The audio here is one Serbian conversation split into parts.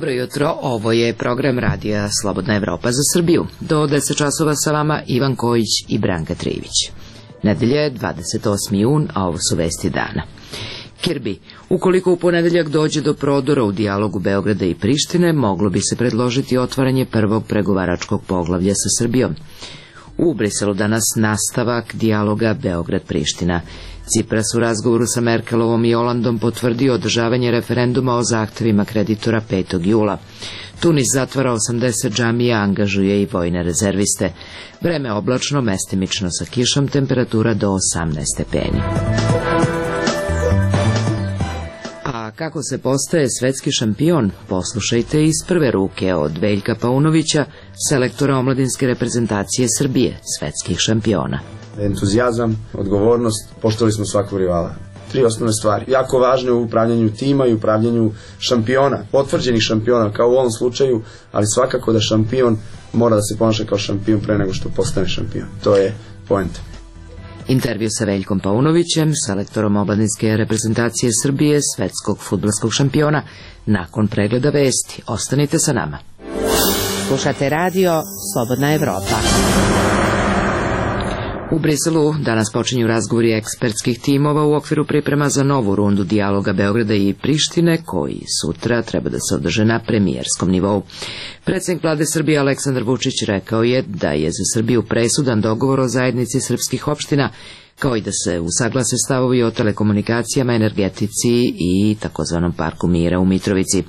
Dobro jutro, ovo je program radija Slobodna Evropa za Srbiju. Do 10 časova sa vama Ivan Kojić i Branka Trijević. Nedelja je 28. jun, a ovo su vesti dana. Kirbi, ukoliko u ponedeljak dođe do prodora u dijalogu Beograda i Prištine, moglo bi se predložiti otvaranje prvog pregovaračkog poglavlja sa Srbijom. U Briselu danas nastavak dijaloga Beograd-Priština. Cipras u razgovoru sa Merkelovom i Olandom potvrdio održavanje referenduma o zahtevima kreditora 5. jula. Tunis zatvara 80 džamija, angažuje i vojne rezerviste. Vreme oblačno, mestimično sa kišom, temperatura do 18 stepeni. A kako se postaje svetski šampion? Poslušajte iz prve ruke od Veljka Paunovića, selektora omladinske reprezentacije Srbije, svetskih šampiona. Entuzijazam, odgovornost, poštovali smo svakog rivala. 3 osnovne stvari, jako važne u upravljanju tima i upravljanju šampiona, potvrđenih šampiona, kao u ovom slučaju, ali svakako da šampion mora da se ponaša kao šampion pre nego što postane šampion. To je poenta. Intervju sa Veljkom Paunovićem, selektorom omladinske reprezentacije Srbije, svetskog fudbalskog šampiona, nakon pregleda vesti. Ostanite sa nama. Slušate radio Slobodna Evropa. U Briselu danas počinju razgovori ekspertskih timova u okviru priprema za novu rundu dijaloga Beograda i Prištine, koji sutra treba da se održe na premijerskom nivou. Predsjednik vlade Srbije Aleksandar Vučić rekao je da je za Srbiju presudan dogovor o zajednici srpskih opština, kao i da se usaglase stavovi o telekomunikacijama, energetici i takozvanom parku mira u Mitrovici.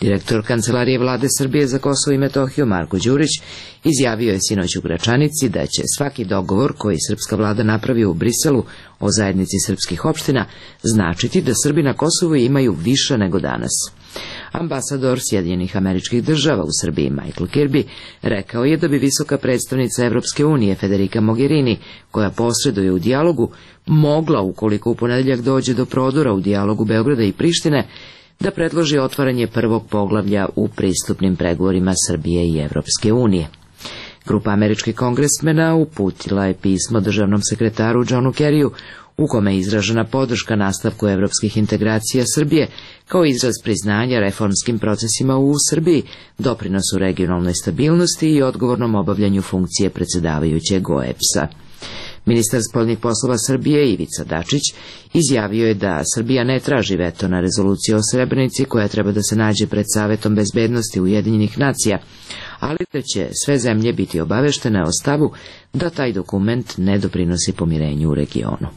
Direktor Kancelarije vlade Srbije za Kosovo i Metohiju Marko Đurić izjavio je sinoć u Gračanici da će svaki dogovor koji srpska vlada napravi u Briselu o zajednici srpskih opština značiti da Srbi na Kosovu imaju više nego danas. Ambasador Sjedinjenih Američkih Država u Srbiji Michael Kirby rekao je da bi visoka predstavnica Evropske unije Federica Mogherini, koja posreduje u dijalogu, mogla, ukoliko u ponedeljak dođe do prodora u dijalogu Beograda i Prištine, da predloži otvaranje prvog poglavlja u pristupnim pregovorima Srbije i Evropske unije. Grupa američkih kongresmena uputila je pismo državnom sekretaru Johnu Kerryu, u kome je izražena podrška nastavku evropskih integracija Srbije kao izraz priznanja reformskim procesima u Srbiji, doprinosu regionalnoj stabilnosti i odgovornom obavljanju funkcije predsjedavajućeg OEBS-a. Ministar spoljnih poslova Srbije Ivica Dačić izjavio je da Srbija ne traži veto na rezoluciju o Srebrenici koja treba da se nađe pred Savetom bezbednosti Ujedinjenih nacija, ali da će sve zemlje biti obaveštene o stavu da taj dokument ne doprinosi pomirenju u regionu.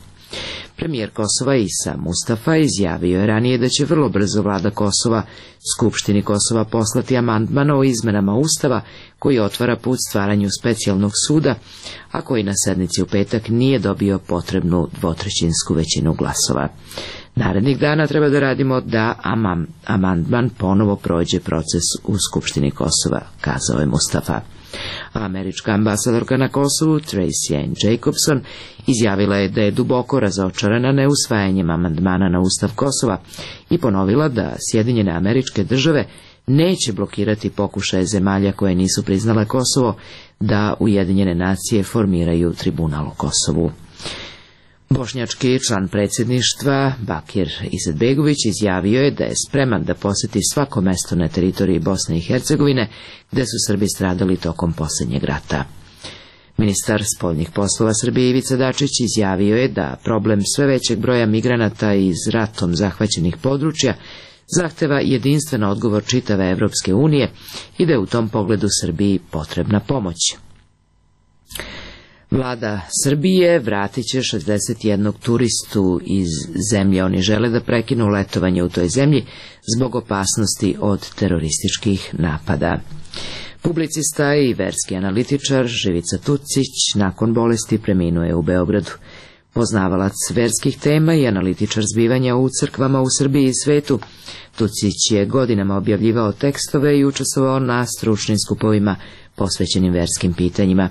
Premijer Kosova Isa Mustafa izjavio je ranije da će vrlo brzo vlada Kosova Skupštini Kosova poslati amandman o izmenama Ustava koji otvara put stvaranju specijalnog suda, a koji na sednici u petak nije dobio potrebnu dvotrećinsku većinu glasova. Narednih dana treba da radimo da amandman ponovo prođe proces u Skupštini Kosova, kazao je Mustafa. Američka ambasadorka na Kosovu Tracy Ann Jacobson izjavila je da je duboko razočarana neusvajanjem amandmana na Ustav Kosova i ponovila da Sjedinjene Američke Države neće blokirati pokušaje zemalja koje nisu priznale Kosovo da Ujedinjene nacije formiraju tribunal o Kosovu. Bošnjački član predsjedništva Bakir Izetbegović izjavio je da je spreman da posjeti svako mesto na teritoriji Bosne i Hercegovine gde su Srbi stradali tokom posljednjeg rata. Ministar spoljnih poslova Srbije Ivica Dačić izjavio je da problem sve većeg broja migranata iz ratom zahvaćenih područja zahteva jedinstven odgovor čitave Evropske unije i da je u tom pogledu Srbiji potrebna pomoć. Vlada Srbije vratit će 61 turistu iz zemlje. Oni žele da prekinu letovanje u toj zemlji zbog opasnosti od terorističkih napada. Publicista i verski analitičar Živica Tucić nakon bolesti preminuo je u Beogradu. Poznavalac verskih tema i analitičar zbivanja u crkvama u Srbiji i svetu, Tucić je godinama objavljivao tekstove i učestvovao na stručnim skupovima posvećenim verskim pitanjima.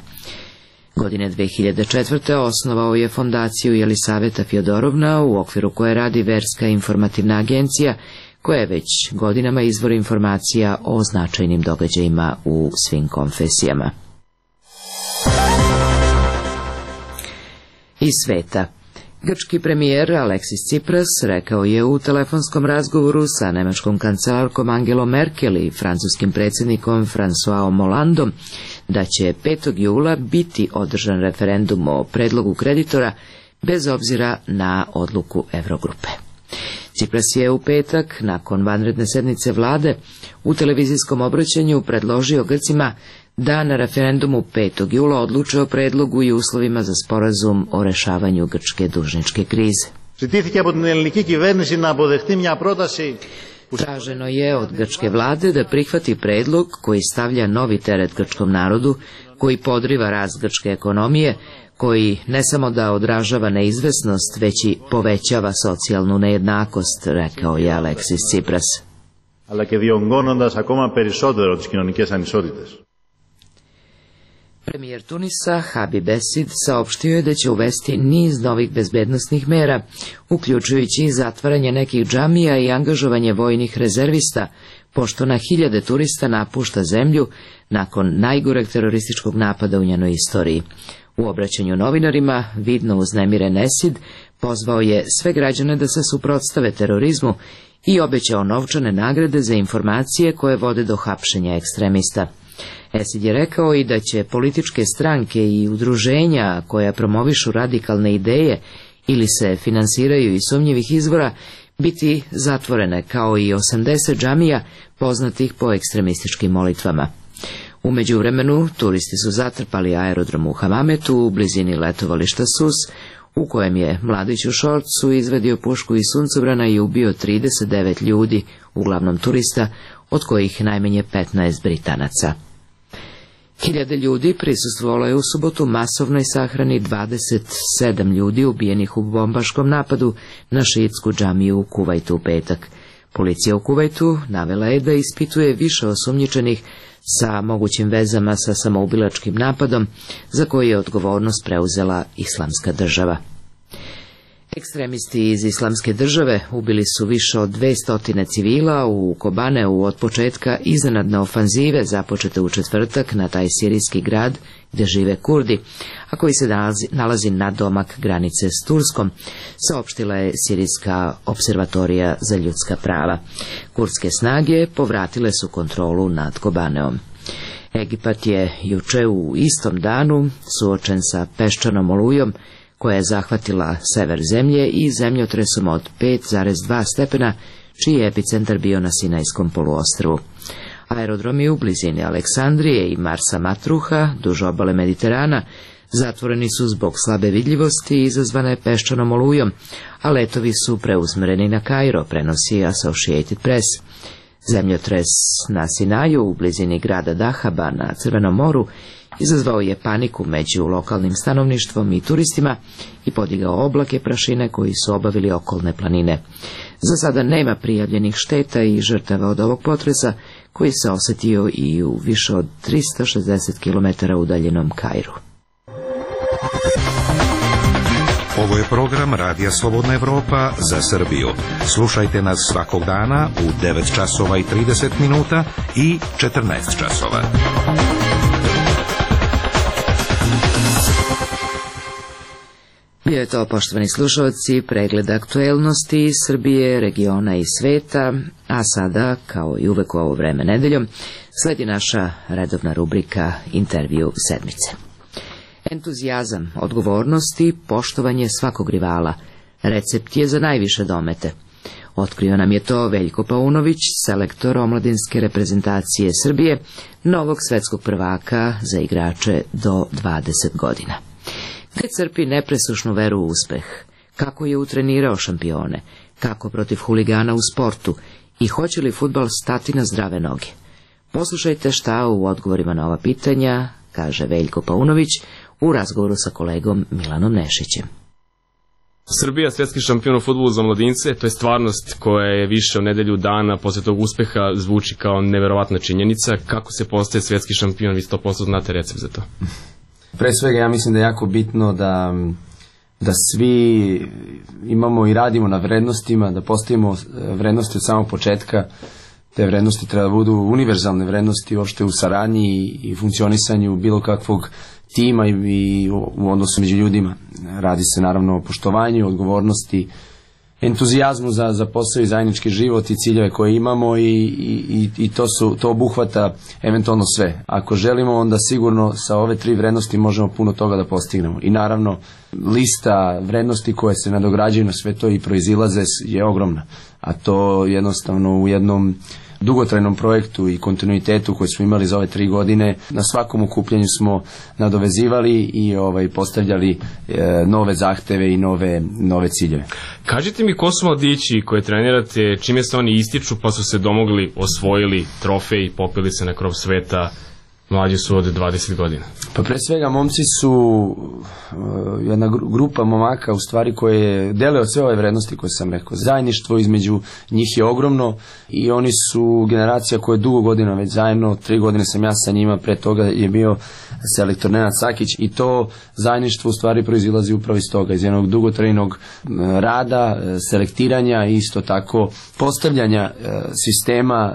Godine 2004. osnovao je fondaciju Jelisaveta Fjodorovna, u okviru koje radi Verska informativna agencija, koja je već godinama izvor informacija o značajnim događajima u svim konfesijama. Iz sveta. Grčki premijer Aleksis Tsipras rekao je u telefonskom razgovoru sa nemačkom kancelarkom Angelom Merkel i francuskim predsjednikom Françoisom Hollandom da će 5. jula biti održan referendum o predlogu kreditora bez obzira na odluku Eurogrupe. Tsipras je u petak, nakon vanredne sednice vlade, u televizijskom obraćanju predložio Grcima da na referendumu 5. jula odluče o predlogu i uslovima za sporazum o rešavanju grčke dužničke krize. Traženo je od grčke vlade da prihvati predlog koji stavlja novi teret grčkom narodu, koji podriva rast grčke ekonomije, koji ne samo da odražava neizvesnost, već i povećava socijalnu nejednakost, rekao je Aleksis Tsipras. Premijer Tunisa Habib Essid saopštio je da će uvesti niz novih bezbednosnih mera, uključujući i zatvaranje nekih džamija i angažovanje vojnih rezervista, pošto na hiljade turista napušta zemlju nakon najgoreg terorističkog napada u njenoj istoriji. U obraćanju novinarima, vidno uznemiren Essid pozvao je sve građane da se suprotstave terorizmu i obećao novčane nagrade za informacije koje vode do hapšenja ekstremista. Essid je rekao i da će političke stranke i udruženja koja promovišu radikalne ideje ili se finansiraju iz sumnjivih izvora biti zatvorene, kao i 80 džamija poznatih po ekstremističkim molitvama. U međuvremenu turisti su zatrpali aerodrom u Hamametu u blizini letovališta Sus, u kojem je mladić u šorcu izvadio pušku iz suncobrana i ubio 39 ljudi, uglavnom turista, od kojih najmanje 15 Britanaca. Hiljade ljudi prisustvovalo je u subotu masovnoj sahrani 27 ljudi ubijenih u bombaškom napadu na šiitsku džamiju u Kuvajtu u petak. Policija u Kuvajtu navela je da ispituje više osumnjičenih sa mogućim vezama sa samoubilačkim napadom za koji je odgovornost preuzela Islamska država. Ekstremisti iz Islamske države ubili su više od 200 civila u Kobaneu od početka iznenadne ofanzive započete u četvrtak na taj sirijski grad gdje žive Kurdi, a koji se nalazi nadomak granice s Turskom, saopštila je Sirijska observatorija za ljudska prava. Kurdske snage povratile su kontrolu nad Kobaneom. Egipat je juče u istom danu suočen sa peščanom olujom koja je zahvatila sever zemlje i zemljotresom od 5,2 stepena, čiji je epicentar bio na Sinajskom poluostrvu. Aerodromi u blizini Aleksandrije i Marsa Matruha, duž obale Mediterana, zatvoreni su zbog slabe vidljivosti izazvane peščanom olujom, a letovi su preusmjereni na Kairo, prenosi Associated Press. Zemljotres na Sinaju u blizini grada Dahaba na Crvenom moru izazvao je paniku među lokalnim stanovništvom i turistima i podigao oblake prašine koji su obavili okolne planine. Za sada nema prijavljenih šteta i žrtava od ovog potresa koji se osjetio i u više od 360 km udaljenom Kairu. Ovo je program Radija Slobodna Evropa za Srbiju. Slušajte nas svakog dana u 9 časova i 30 minuta i 14 časova. Bio je to, poštovani slušalci, pregled aktuelnosti iz Srbije, regiona i sveta, a sada, kao i uvek u ovo vreme nedeljom, sledi naša redovna rubrika Intervju sedmice. Entuzijazam, odgovornost i poštovanje svakog rivala. Recept je za najviše domete. Otkrio nam je to Veljko Paunović, selektor omladinske reprezentacije Srbije, novog svetskog prvaka za igrače do 20 godina. Gde crpi nepresušnu veru u uspeh, kako je utrenirao šampione, kako protiv huligana u sportu i hoće li fudbal stati na zdrave noge. Poslušajte šta u odgovorima na ova pitanja kaže Veljko Paunović u razgovoru sa kolegom Milanom Nešićem. Srbija, svjetski šampion u fudbalu za mladince, to je stvarnost koja je više od nedelju dana posle tog uspeha, zvuči kao neverovatna činjenica. Kako se postaje svjetski šampion, vi 100% znate recept za to? Pre svega ja mislim da je jako bitno da svi imamo i radimo na vrednostima, da postavimo vrednosti od samog početka, Te vrednosti treba da budu univerzalne vrednosti uopšte u saradnji i funkcionisanju bilo kakvog tima i u odnosu među ljudima. Radi se naravno o poštovanju, odgovornosti, entuzijazmu za posao i zajednički život i ciljeve koje imamo i to obuhvata eventualno sve. Ako želimo, onda sigurno sa ove 3 vrednosti možemo puno toga da postignemo. I naravno, lista vrednosti koje se nadograđuju na sve to i proizilaze je ogromna. A to jednostavno u jednom dugotrajnom projektu i kontinuitetu koji smo imali za ove 3 godine, na svakom okupljanju smo nadovezivali i postavljali nove zahteve i nove ciljeve. Kažite mi, ko su mladići koje trenirate, čime se oni ističu pa su se domogli, osvojili trofej, popili se na krov sveta, mlađi su od 20 godina? Pa pre svega momci su jedna grupa momaka u stvari koje dele od sve ove vrednosti koje sam rekao. Zajedništvo između njih je ogromno i oni su generacija koja je dugo godina već zajedno, 3 godine sam ja sa njima, pre toga je bio selektor Nenad Sakić i to zajedništvo u stvari proizilazi upravo iz toga, iz jednog dugotrajnog rada, selektiranja i isto tako postavljanja sistema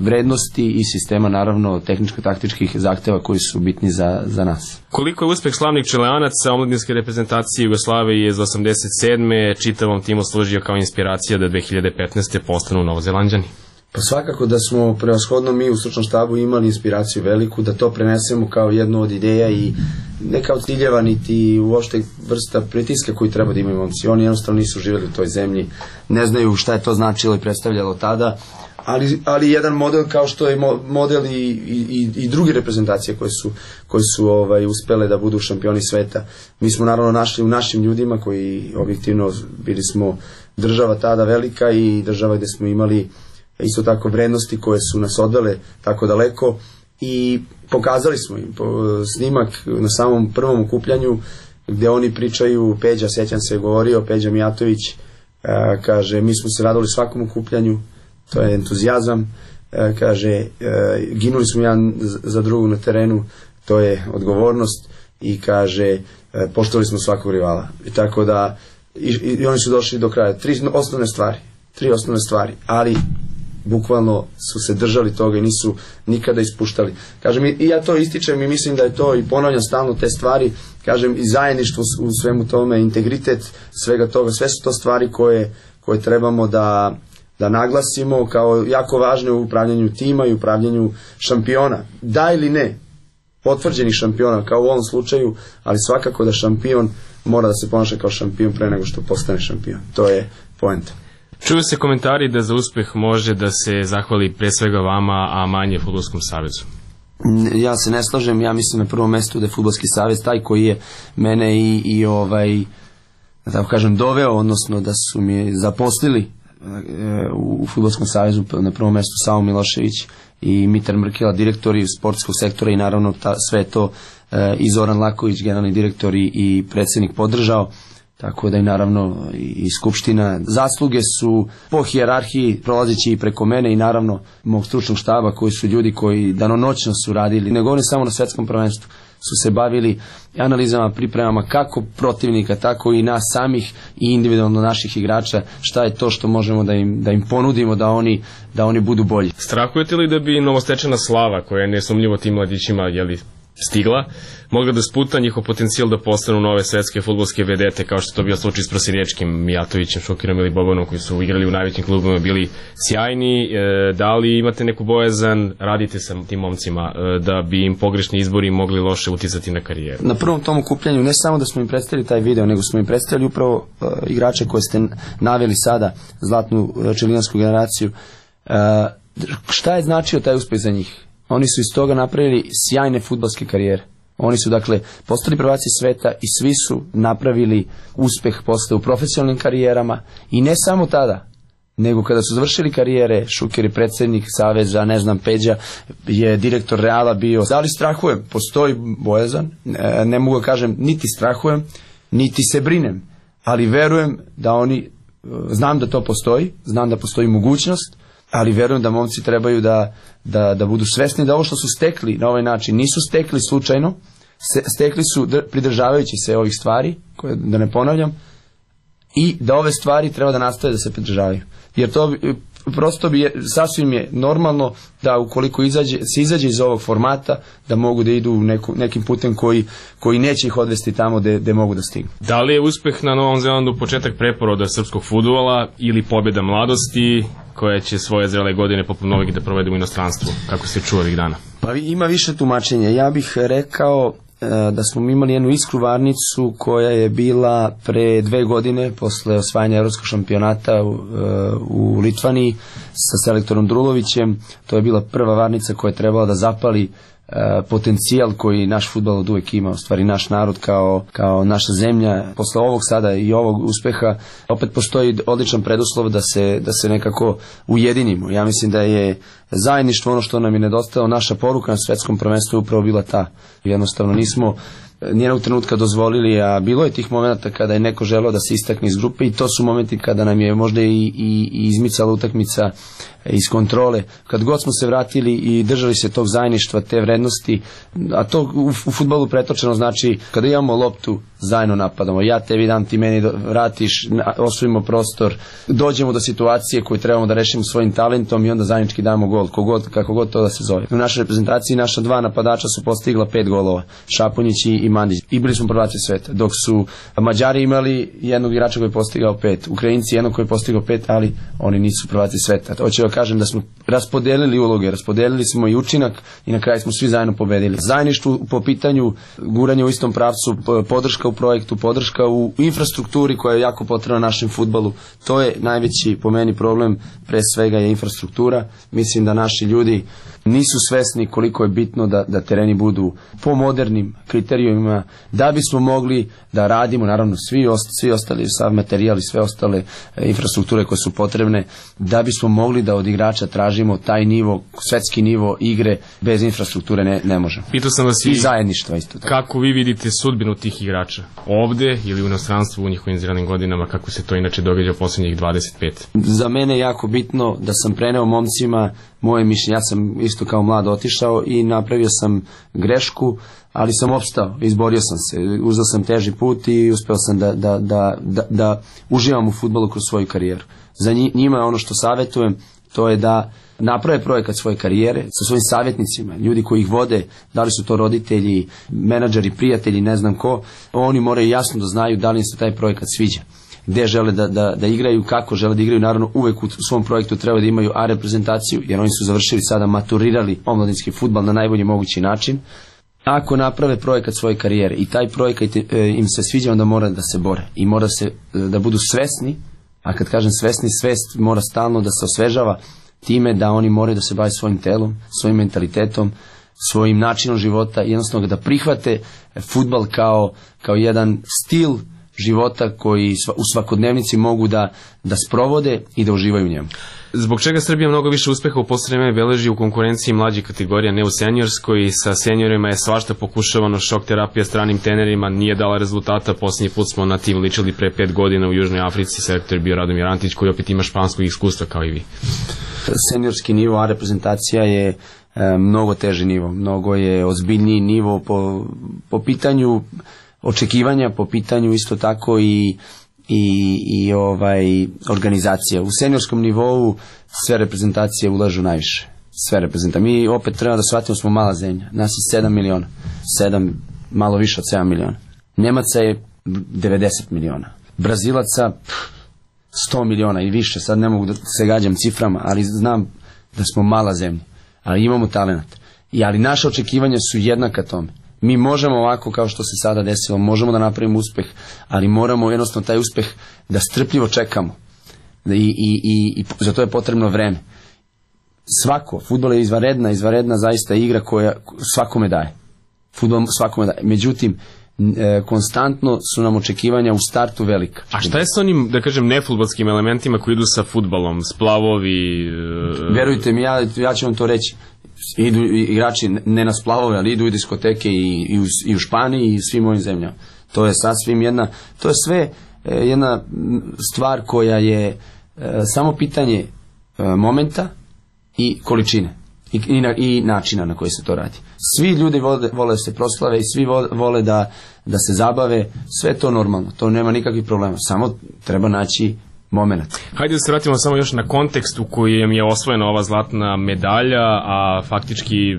vrednosti i sistema naravno tehničko-taktičkih zahteva koji su bitni za nas. Koliko je uspeh slavnih čelanaca omladinske reprezentacije Jugoslavije iz 87. čitavom timu služio kao inspiracija da 2015. postanu Novozelanđani? Pa svakako da smo prevashodno mi u stručnom štabu imali inspiraciju veliku, da to prenesemo kao jednu od ideja i ne kao ciljeva niti uopšte vrsta pritiska koji treba da imaju momci. Oni jednostavno nisu živjeli u toj zemlji, ne znaju šta je to značilo i predstavljalo tada, ali jedan model kao što je model i druge reprezentacije koje su uspele da budu šampioni sveta. Mi smo naravno našli u našim ljudima koji objektivno bili smo država tada velika i država gde smo imali isto tako vrednosti koje su nas odvele tako daleko i pokazali smo im snimak na samom prvom okupljanju gde oni pričaju, Peđa, sećam se, govorio Peđa Mijatović, kaže mi smo se radili svakom okupljanju, to je entuzijazam, kaže ginuli smo jedan za drugog na terenu, to je odgovornost i kaže poštovali smo svakog rivala. I tako da i oni su došli do kraja. 3 osnovne stvari, ali bukvalno su se držali toga i nisu nikada ispuštali. Kažem, i ja to ističem i mislim da je to i ponavljam stalno te stvari, kažem, i zajedništvo u svemu tome, integritet svega toga, sve su to stvari koje trebamo da naglasimo kao jako važne u upravljanju tima i upravljanju šampiona. Da ili ne, potvrđenih šampiona, kao u ovom slučaju, ali svakako da šampion mora da se ponaša kao šampion pre nego što postane šampion. To je poenta. Čuju se komentari da za uspeh može da se zahvali pre svega vama, a manje Fudbalskom savezu. Ja se ne slažem, ja mislim na prvom mestu da je Fudbalski savez taj koji je mene da tako kažem, doveo, odnosno da su mi zaposlili u Fudbalskom savezu, na prvom mestu Savo Milošević i Mitar Mrkela, direktori sportskog sektora i naravno sve to i Zoran Laković, generalni direktor i predsjednik podržao. Tako da i naravno i Skupština. Zasluge su po hijerarhiji prolazeći i preko mene i naravno mog stručnog štaba koji su ljudi koji danonoćno su radili. Ne govorim samo na svetskom prvenstvu. Su se bavili analizama, pripremama kako protivnika, tako i nas samih i individualno naših igrača. Šta je to što možemo da im ponudimo da oni budu bolji. Strahujete li da bi novostečena slava koja je nesumnjivo tim mladićima stigla, mogla da sputa njihov potencijal da postanu nove svetske fudbalske vedete, kao što to bio slučaj s Prosjenječkim, Mijatovićem, Šukirom ili Bobanom, koji su igrali u najvećim klubima, bili sjajni. Da li imate neku bojazan, radite sa tim momcima, da bi im pogrešni izbori mogli loše uticati na karijeru? Na prvom tom okupljanju ne samo da smo im predstavili taj video, nego smo im predstavili upravo igrače koje ste naveli sada, zlatnu čelijansku generaciju. Šta je značio taj uspeh za njih? Oni su iz toga napravili sjajne fudbalske karijere. Oni su dakle postali prvaci sveta i svi su napravili uspeh posle u profesionalnim karijerama i ne samo tada, nego kada su završili karijere, Šuker je predsjednik saveza, ne znam, Peđa je direktor Reala bio. Da li strahujem? Postoji bojazan, ne mogu da kažem niti strahujem, niti se brinem, ali verujem da oni, znam da to postoji, znam da postoji mogućnost, ali verujem da momci trebaju da budu svesni da ovo što su stekli na ovaj način nisu stekli slučajno, stekli su pridržavajući se ovih stvari, koje da ne ponavljam, i da ove stvari treba da nastave da se pridržavaju. Jer to prosto sasvim je normalno da ukoliko se izađe iz ovog formata, da mogu da idu nekim putem koji neće ih odvesti tamo gde mogu da stignu. Da li je uspeh na Novom Zelandu početak preporoda srpskog fudbala ili pobjeda mladosti koja će svoje zrele godine poput novih da provede u inostranstvu, kako se čuva ovih dana? Pa ima više tumačenja. Ja bih rekao da smo imali jednu iskru varnicu koja je bila pre 2 godine posle osvajanja evropskog šampionata u Litvaniji sa selektorom Drulovićem. To je bila prva varnica koja je trebala da zapali potencijal koji naš fudbal od uvek ima, u stvari naš narod kao naša zemlja. Posle ovog sada i ovog uspeha opet postoji odličan preduslov da se nekako ujedinimo. Ja mislim da je zajedništvo ono što nam je nedostajalo. Naša poruka na svetskom prvenstvu je upravo bila ta. Jednostavno nismo nijednog trenutka dozvolili, a bilo je tih momenta kada je neko želeo da se istakne iz grupe i to su momenti kada nam je možda i izmicala utakmica iz kontrole. Kad god smo se vratili i držali se tog zajedništva, te vrednosti, a to u fudbalu pretočeno znači kada imamo loptu zajedno napadamo, ja tebi dam, ti meni vratiš, osvojimo prostor, dođemo do situacije koju trebamo da rešimo svojim talentom i onda zajednički damo gol, kako god to da se zove. U našoj reprezentaciji naša 2 napadača su postigla 5 golova, Šaponjić i Mandić, i bili smo prvaci sveta, dok su Mađari imali jednog igrača koji je postigao 5, Ukrajinci jednog koji je postigao 5, ali oni nisu prvaci sveta. Hoću da kažem da smo raspodelili uloge, raspodelili smo i učinak i na kraju smo svi zajedno pobedili. Zajedništvo po pitanju guranja u istom pravcu, podrška u projektu, podrška u infrastrukturi koja je jako potrebna našem fudbalu. To je najveći po meni problem, pre svega je infrastruktura. Mislim da naši ljudi nisu svesni koliko je bitno da tereni budu po modernim kriterijumima, da bismo mogli da radimo, naravno svi ostali, sav materijal i sve ostale infrastrukture koje su potrebne, da bismo mogli da od igrača tražimo taj nivo, svetski nivo igre, bez infrastrukture ne možemo. Pitao sam vas i zajedništva isto tako. Kako vi vidite sudbinu tih igrača? Ovde ili u inostranstvu u njihovim zrelim godinama, kako se to inače događa u posljednjih 25? Za mene je jako bitno da sam preneo momcima moje mišljenje. Ja sam isto kao mlad otišao i napravio sam grešku, ali sam opstao, izborio sam se, uzeo sam teži put i uspeo sam da uživam u fudbalu kroz svoju karijeru. Za njima ono što savjetujem, to je da naprave projekat svoje karijere sa svojim savjetnicima, ljudi koji ih vode, da li su to roditelji, menadžeri, prijatelji, ne znam ko, oni moraju jasno da znaju da li im se taj projekat sviđa, gde žele da igraju, kako žele da igraju. Naravno uvek u svom projektu treba da imaju A reprezentaciju, jer oni su završili sada, maturirali omladinski fudbal na najbolji mogući način. Ako naprave projekat svoje karijere i taj projekat im se sviđa, onda mora da se bore i mora da budu svesni, a kad kažem svesni, svest mora stalno da se osvežava time da oni moraju da se bave svojim telom, svojim mentalitetom, svojim načinom života i jednostavno da prihvate fudbal kao jedan stil života koji u svakodnevnici mogu da sprovode i da uživaju u njemu. Zbog čega Srbija mnogo više uspeha u posljednje vreme beleži u konkurenciji mlađih kategorija, ne u seniorskoj? Sa seniorima je svašta pokušavano, šok terapija stranim trenerima nije dala rezultata. Posljednji put smo na tim ličili pre 5 godina u Južnoj Africi, selektor je bio Radomir Antić koji opet ima španskog iskustva kao i vi. Seniorski nivo A reprezentacija je mnogo teži nivo, mnogo je ozbiljniji nivo po pitanju očekivanja, po pitanju isto tako i organizacija. U seniorskom nivou sve reprezentacije ulažu najviše. Sve reprezentacije. Mi opet treba da shvatimo, smo mala zemlja. Nas je 7 miliona. 7, malo više od 7 miliona. Nemaca je 90 miliona. Brazilaca 100 miliona i više. Sad ne mogu da se gađam ciframa, ali znam da smo mala zemlja. Ali imamo talent. Ali naše očekivanja su jednaka tome. Mi možemo ovako kao što se sada desilo, možemo da napravimo uspeh, ali moramo jednostavno taj uspeh da strpljivo čekamo. I za to je potrebno vreme. Fudbal je izvanredna zaista igra koja svakome daje. Fudbal svakome daje. Međutim, konstantno su nam očekivanja u startu velika. A šta je s onim, da kažem, nefudbalskim elementima koji idu sa fudbalom, splavovi? Verujte mi, ja ću vam to reći. Idu igrači ne na splavove, ali idu u diskoteke i u Španiji i svim ovim zemljama. To je sasvim to je sve jedna stvar koja je samo pitanje momenta i količine i načina na koji se to radi. Svi ljudi vole da se proslave i svi vole da se zabave, sve to normalno, to nema nikakvih problema, samo treba naći moment. Hajde da se vratimo samo još na kontekst u kojem je osvojena ova zlatna medalja, a faktički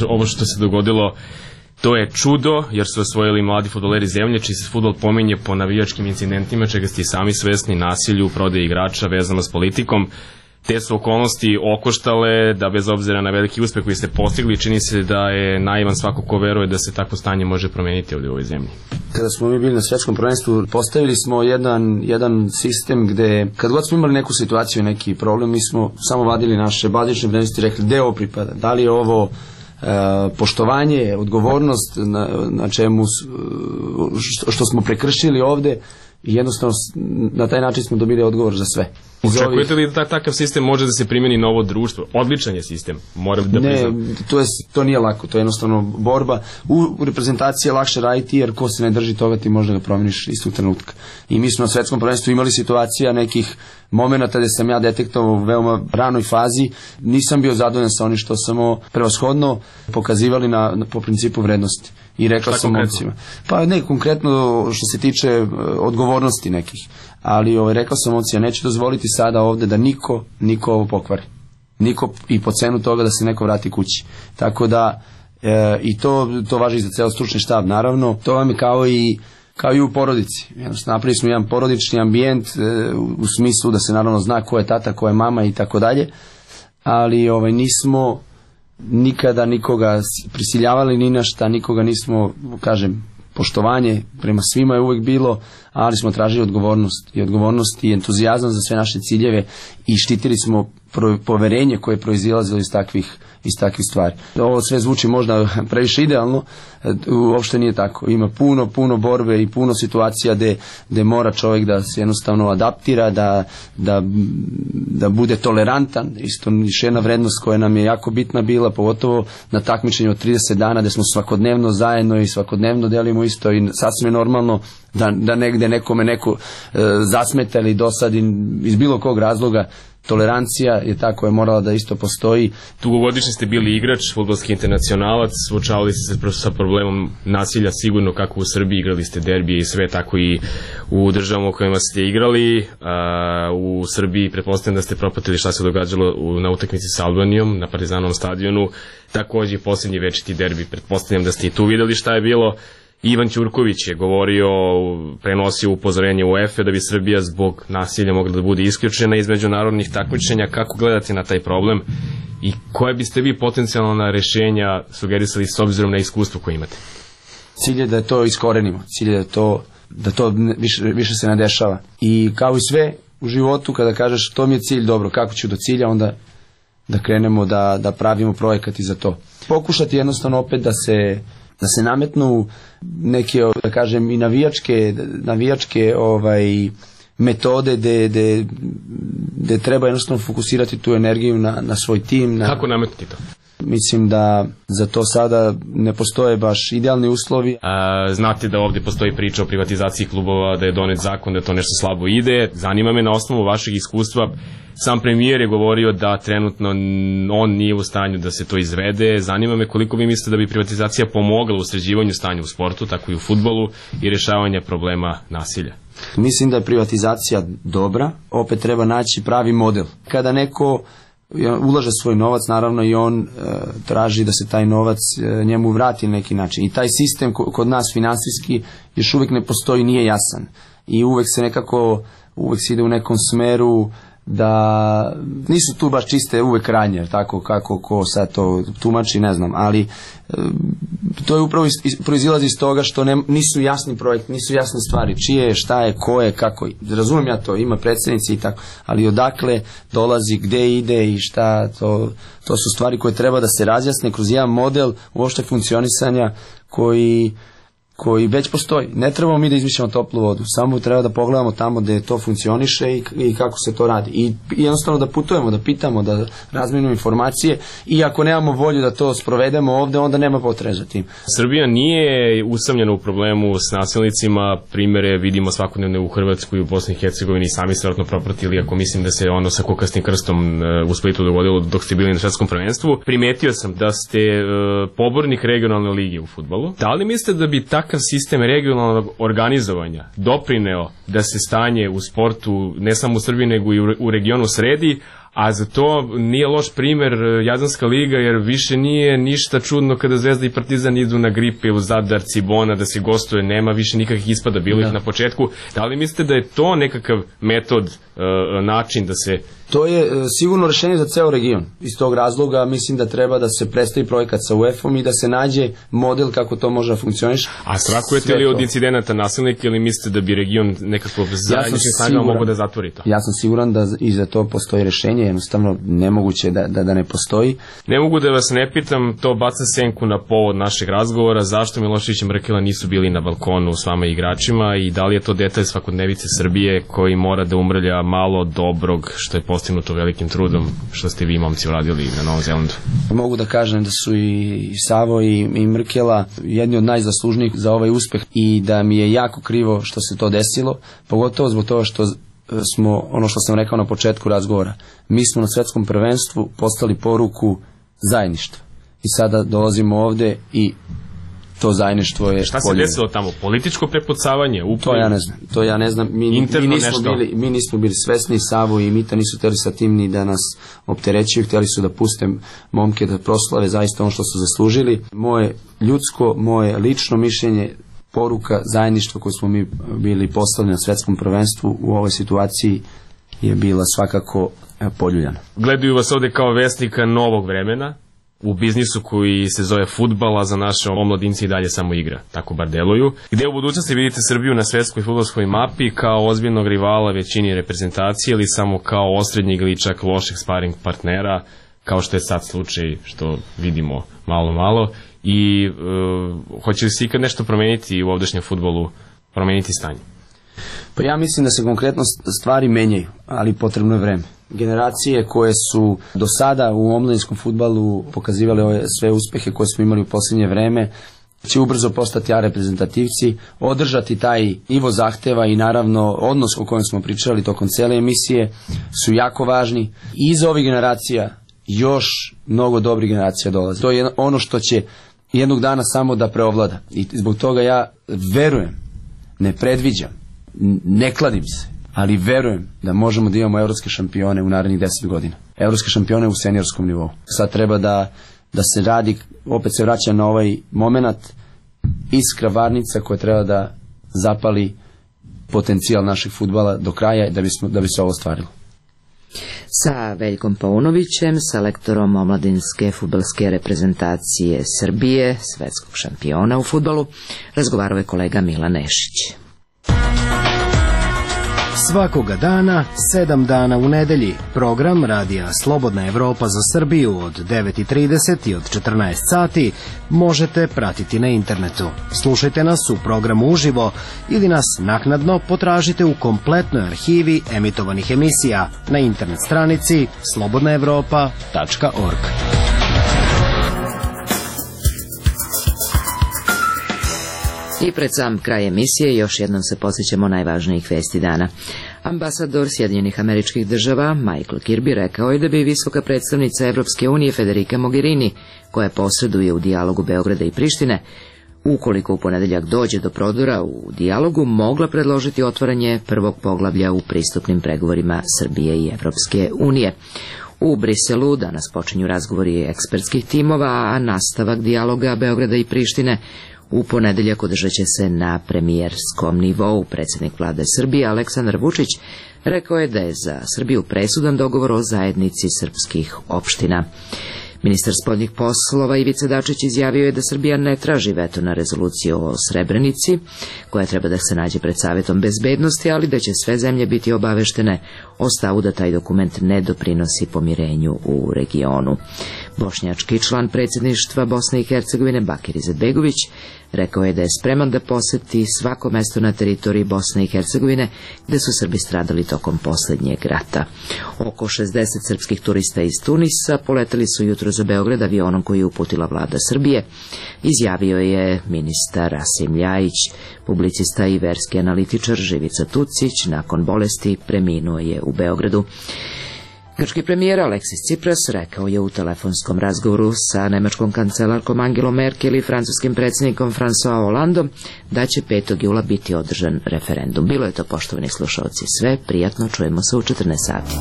ovo što se dogodilo, to je čudo, jer su osvojili mladi fudbaleri zemlje, čiji se fudbal pominje po navijačkim incidentima, čega ste i sami svesni, nasilju, prodaji igrača vezano s politikom. Te su okolnosti okoštale da bez obzira na veliki uspeh koji ste postigli, čini se da je naivan svako ko veruje da se takvo stanje može promeniti ovdje u ovoj zemlji. Kada smo mi bili na svjetskom prvenstvu, postavili smo jedan sistem gde, kad god smo imali neku situaciju, neki problem, mi smo samo vadili naše bazične vrednosti i rekli gde ovo pripada, da li je ovo poštovanje, odgovornost na čemu što smo prekršili ovde, i jednostavno na taj način smo dobili odgovor za sve. Očekujete li da takav sistem može da se primjeni na ovo društvo? Odličan je sistem, moram da priznam. Ne, to nije lako, to je jednostavno borba. U reprezentaciji je lakše raditi, jer ko se ne drži toga ti možda ga promeniš istog trenutka. I mi smo na svetskom prvenstvu imali situacija nekih momenata gde sam ja detektovao u veoma ranoj fazi, nisam bio zadovoljan sa onim što samo prevashodno pokazivali po principu vrednosti. I rekao sam momcima. Pa ne konkretno što se tiče odgovornosti nekih, ali rekao sam momcima, neću dozvoliti sada ovde da niko ovo pokvari. Niko, i po cenu toga da se neko vrati kući. Tako da i to važi za ceo stručni štab, naravno. To vam je kao i u porodici. Napravili smo jedan porodični ambijent u smislu da se naravno zna ko je tata, ko je mama i tako dalje, ali nismo nikada nikoga prisiljavali ni na šta, nikoga nismo, kažem, poštovanje prema svima je uvek bilo, ali smo tražili odgovornost i entuzijazam za sve naše ciljeve i štitili smo poverenje koje je proizilazilo iz takvih stvari. Ovo sve zvuči možda previše idealno, uopšte nije tako. Ima puno borbe i puno situacija gde mora čovjek da se jednostavno adaptira, da bude tolerantan. Isto još jedna vrednost koja nam je jako bitna bila, pogotovo na takmičenju od 30 dana gde smo svakodnevno zajedno i svakodnevno delimo isto i sasvim je normalno da negde nekome neko zasmeta ili dosadi iz bilo kog razloga. Tolerancija je ta koja je morala da isto postoji. Dugogodišnji ste bili igrač, fudbalski internacionalac, suočavali ste se sa problemom nasilja sigurno kako u Srbiji, igrali ste derbije i sve, tako i u državama u kojima ste igrali. U Srbiji pretpostavljam da ste propratili šta se događalo na utakmici sa Albanijom na Partizanovom stadionu, takođe i posljednji večiti derbi, pretpostavljam da ste i tu videli šta je bilo. Ivan Ćurković je govorio, prenosio upozorenje UEFA da bi Srbija zbog nasilja mogla da bude isključena iz međunarodnih takmičenja. Kako gledate na taj problem i koje biste vi potencijalna rešenja sugerisali s obzirom na iskustvo koje imate? Cilj je da to iskorenimo, cilj je da to više se ne dešava. I kao i sve u životu, kada kažeš to mi je cilj, dobro, kako ću do cilja, onda da krenemo da pravimo projekat i za to. Pokušati jednostavno opet da se nametnu neke, da kažem, i navijačke metode gde treba jednostavno fokusirati tu energiju na svoj tim. Kako nametnuti to? Mislim da za to sada ne postoje baš idealni uslovi. Znate da ovdje postoji priča o privatizaciji klubova, da je donet zakon, da to nešto slabo ide. Zanima me na osnovu vašeg iskustva. Sam premijer je govorio da trenutno on nije u stanju da se to izvede. Zanima me koliko vi mislite da bi privatizacija pomogla u sređivanju stanja u sportu, tako i u fudbalu, i rješavanja problema nasilja. Mislim da je privatizacija dobra, opet treba naći pravi model. Kada neko ulaže svoj novac, naravno i on traži da se taj novac njemu vrati na neki način. I taj sistem kod nas finansijski još uvijek ne postoji, nije jasan. I uvijek se ide u nekom smeru da nisu tu baš čiste uvek radnje, tako kako ko sad to tumači, ne znam, ali to je upravo proizilazi iz toga što nisu jasni projekti, nisu jasne stvari, čije je, šta je, ko je, kako. Razumijem ja to, ima predsjednici i tako, ali odakle dolazi, gde ide i šta, to su stvari koje treba da se razjasne kroz jedan model uopšte funkcionisanja koji već postoji. Ne trebamo mi da izmišljamo toplu vodu, samo treba da pogledamo tamo gde to funkcioniše i kako se to radi. I jednostavno da putujemo, da pitamo, da razmenimo informacije, i ako nemamo volju da to sprovedemo ovde, onda nema potrebe za tim. Srbija nije usamljena u problemu s nasilnicima, primere vidimo svakodnevno u Hrvatskoj i u Bosni i Hercegovini, sami se vratno propratili, ako mislim da se ono sa kukasnim krstom u Splitu dogodilo dok ste bili na svetskom prvenstvu. Primetio sam da ste pobornik regionalne lige u fudbalu. Da li mislite da bi takav sistem regionalnog organizovanja doprineo da se stanje u sportu ne samo u Srbiji nego i u regionu sredi, a za to nije loš primer Jadranska liga, jer više nije ništa čudno kada Zvezda i Partizan idu na Gripe u Zadar, Cibona, da se gostuje, nema više nikakvih ispada, bilo ih na početku. Da li mislite da je to nekakav metod, način da se... To je sigurno rešenje za ceo region. Iz tog razloga mislim da treba da se predstavi projekat sa UEFA-om i da se nađe model kako to može da funkcioniše. A strahujete li od incidenata nasilnika ili mislite da bi region nekako zajedničkim snagama mogo da zatvori to? Ja sam siguran da i za to postoji rešenje, jednostavno nemoguće da ne postoji. Ne mogu da vas ne pitam, to baca senku na povod našeg razgovora, zašto Milošević i Mrkela nisu bili na balkonu s vama igračima i da li je to detalj svakodnevice Srbije koji mora da umrlja malo dobrog što je postignuto velikim trudom što ste vi momci uradili na Novom Zelandu? Mogu da kažem da su i Savo i Mrkela jedni od najzaslužnijih za ovaj uspeh i da mi je jako krivo što se to desilo, pogotovo zbog toga što smo, ono što sam rekao na početku razgovora, mi smo na svetskom prvenstvu postali poruku zajedništva i sada dolazimo ovde i to zajedništvo je... Šta se desilo tamo? Političko prepucavanje? To ja ne znam. Mi nismo bili svesni, Savo i Mita nisu htjeli sa tim ni da nas opterećuju, htjeli su da puste momke da proslave zaista ono što su zaslužili. Moje ljudsko, moje lično mišljenje, poruka zajedništva koju smo mi bili poslali na svetskom prvenstvu u ovoj situaciji je bila svakako poljuljana. Gledaju vas ovde kao vesnika novog vremena, u biznisu koji se zove fudbal, a za naše omladinci i dalje samo igra, tako bar deluju. Gde u budućnosti vidite Srbiju na svetskoj fudbalskoj mapi, kao ozbiljnog rivala većini reprezentacije ili samo kao osrednjeg ili čak lošeg sparing partnera, kao što je sad slučaj što vidimo malo i hoće li se ikad nešto promeniti u ovdašnjem fudbalu, promeniti stanje? Pa ja mislim da se konkretno stvari menjaju, ali potrebno je vreme. Generacije koje su do sada u omladinskom fudbalu pokazivale ove sve uspehe koje smo imali u posljednje vreme, će ubrzo postati reprezentativci, održati taj nivo zahteva i naravno odnos o kojem smo pričali tokom cele emisije su jako važni. I iza ovih generacija još mnogo dobrih generacija dolaze. To je ono što će jednog dana samo da preovlada. I zbog toga ja verujem, ne predviđam, ne kladim se, ali verujem da možemo da imamo evropske šampione u narednih 10 godina. Evropske šampione u seniorskom nivou. Sad treba da se radi, opet se vraća na ovaj moment, iskra varnica koja treba da zapali potencijal našeg fudbala do kraja da bi se ovo ostvarilo. Sa Veljkom Paunovićem, selektorom omladinske fudbalske reprezentacije Srbije, svetskog šampiona u fudbalu, razgovarao je kolega Milan Nešić. Svakoga dana, 7 dana u nedelji, program radija Slobodna Evropa za Srbiju od 9:30 i od 14 sati možete pratiti na internetu. Slušajte nas u programu uživo ili nas naknadno potražite u kompletnoj arhivi emitovanih emisija na internet stranici slobodnaevropa.org. I pred sam kraj emisije još jednom se posjećamo najvažnijih vesti dana. Ambasador Sjedinjenih Američkih Država Michael Kirby rekao je da bi visoka predstavnica Evropske unije Federica Mogherini, koja posreduje u dijalogu Beograda i Prištine, ukoliko u ponedeljak dođe do prodora u dijalogu, mogla predložiti otvaranje prvog poglavlja u pristupnim pregovorima Srbije i Evropske unije. U Briselu danas počinju razgovori ekspertskih timova, a nastavak dijaloga Beograda i Prištine u ponedeljak održat će se na premijerskom nivou. Predsjednik vlade Srbije Aleksandar Vučić rekao je da je za Srbiju presudan dogovor o zajednici srpskih opština. Ministar spoljnih poslova Ivica Dačić izjavio je da Srbija ne traži veto na rezoluciju o Srebrenici, koja treba da se nađe pred Savetom bezbednosti, ali da će sve zemlje biti obaveštene o stavu da taj dokument ne doprinosi pomirenju u regionu. Bošnjački član predsjedništva Bosne i Hercegovine Bakir Izetbegović rekao je da je spreman da poseti svako mesto na teritoriji Bosne i Hercegovine gde su Srbi stradali tokom posljednjeg rata. Oko 60 srpskih turista iz Tunisa poleteli su jutro za Beograd avionom koji je uputila vlada Srbije, izjavio je ministar Rasim Ljajić. Publicista i verski analitičar Živica Tucić nakon bolesti preminuo je u Beogradu. Grčki premijer Aleksis Tsipras rekao je u telefonskom razgovoru sa nemačkom kancelarkom Angelom Merkel i francuskim predsjednikom François Hollandom da će 5. jula biti održan referendum. Bilo je to, poštovani slušalci, sve. Prijatno, čujemo se u 14 sati.